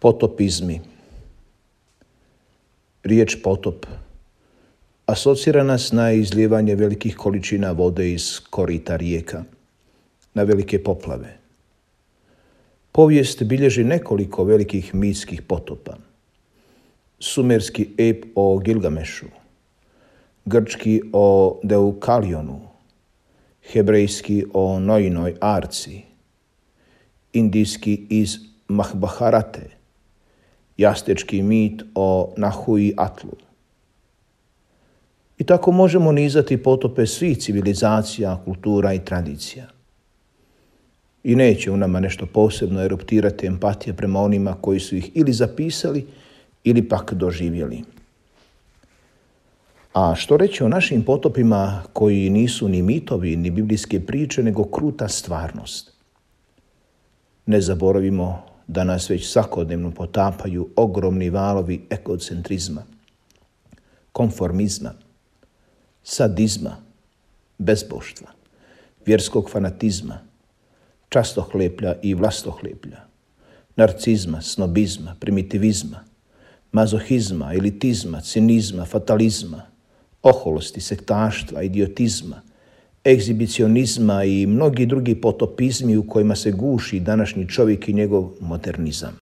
Potopizmi. Riječ potop asocira nas na izlijevanje velikih količina vode iz korita rijeka, na velike poplave. Povijest bilježi nekoliko velikih mitskih potopa. Sumerski ep o Gilgamešu, grčki o Deukalionu, hebrejski o Noinoj arci, indijski iz Mahbharate, jastečki mit o Nahui Atlu. I tako možemo nizati potope svih civilizacija, kultura i tradicija. I neće u nama nešto posebno eruptirati empatija prema onima koji su ih ili zapisali ili pak doživjeli. A što reći o našim potopima koji nisu ni mitovi ni biblijske priče, nego kruta stvarnost? Ne zaboravimo da nas već svakodnevno potapaju ogromni valovi egocentrizma, konformizma, sadizma, bezboštva, vjerskog fanatizma, častohleplja i vlastohleplja, narcizma, snobizma, primitivizma, mazohizma, elitizma, cinizma, fatalizma, oholosti, sektaštva, idiotizma, egzibicionizma i mnogi drugi potopizmi u kojima se guši današnji čovjek i njegov modernizam.